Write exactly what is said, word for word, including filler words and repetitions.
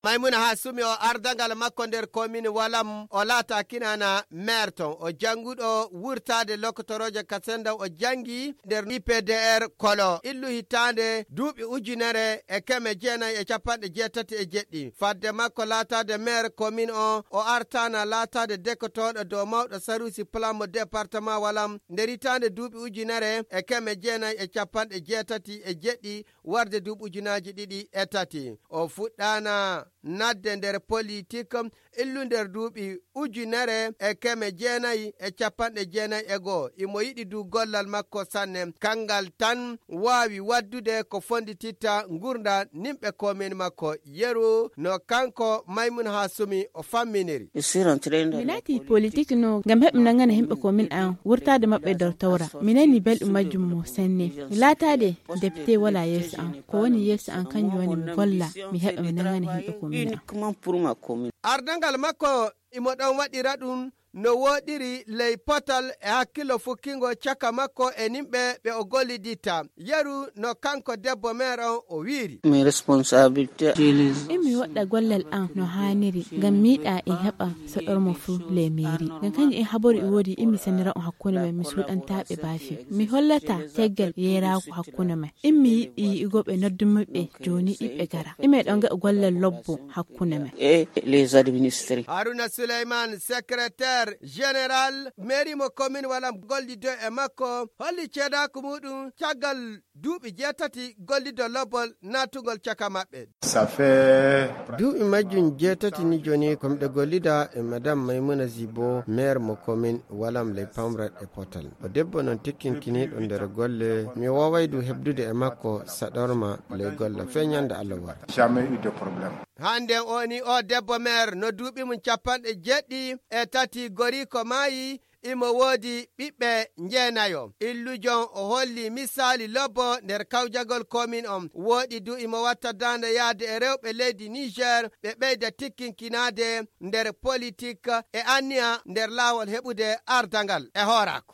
Maymuna Hasumi o ardagal makko nder komin Walam, o laata kinana maire ton. O jannguɗo wurtaade lokotoroojo Kasenda, o janngi nder I P D R Kolo. Illu hitaande duuɓi ujunere e keme jeenayi e capanɗe jeetati e jeɗɗi. Fadde makko laataade maire komin o, o artaana laataade dekotooɗo dow mawɗo saruusi plan mo département Walam nder hitaande duuɓi ujunere e keme jeenayi e capanɗe jeetati e jeɗɗi, warde duuɓi ujunaaji ɗiɗi e tati. O fuɗɗaana nadde nder politik illu nder duuɓi ujunere e keme jeenayi e capanɗe jeenayi e goo. Imo yiɗi du gollal makko sanne. Kangal tan waawi waddude ko fondititta ngurndan nimɓe komin makko. Yeru no kanko Maymun Hasumi o famminiri. Mi naati politik no ngam heɓ mi nangana himɓe komin an wurtaade maɓɓe dow tawra. Mi nani belɗum majjum mo sanne. Mi laataade depite wala yeeso an. Ko woni yeeso an kanjum woni mi golla, mi heɓa mi nangana himɓe komin an. Ardangal makko imo ɗon waɗira ɗum no wooɗiri ley potal e hakkillo fukkingo caka makko e nimɓe ɓe o golliditta. Yeru no kanko debbo maire on o wiiri. Immi woɗɗa gollal an no haaniri, ngam mi yiɗa en heɓa soɗormo fuu ley meeri. Ngam kanjum en habaru e woodi immi sennira on hakkunde men, mi suuɗantaa ɓe baafi. Mi hollata teggel yeeraaku hakkunde men. Immi yiɗi yi'ugo ɓe noddumi ɓe jooni ɗi ɓe gara. Ime ɗon gaɗa gollal lobbo hakkunde men. Haruna Suleyman, secrétaire général mairie mo commune Walam, gollido e makko holli ceedaaku muɗum caggal duuɓi jeetati gollido lobbol naatugol caka maɓɓe. Duuɓi majjum jeetati ni jooni ko miɗo gollida e madame Maymuna Zibo, maire mo commune Walam ley pamrat e potal. O debbo non tikkinkiniiɗo nder golle, mi wooway du heɓdude e makko saɗorma ley golle fee ñande Allah wara. Hande o ni o debbo maire no duuɓi mum capanɗe jeeɗiɗi e tati, goriiko maayi, imo woodi ɓiɓɓe njeenayo. Illujon o holli misaali lobbo nder kawjagol komin on. Wooɗi du imo watta daande yaade e rewɓe leydi Niger, ɓe ɓeyda tikkinkinaade nder politik e anniya nder laawol heɓude ardangal e hooraako.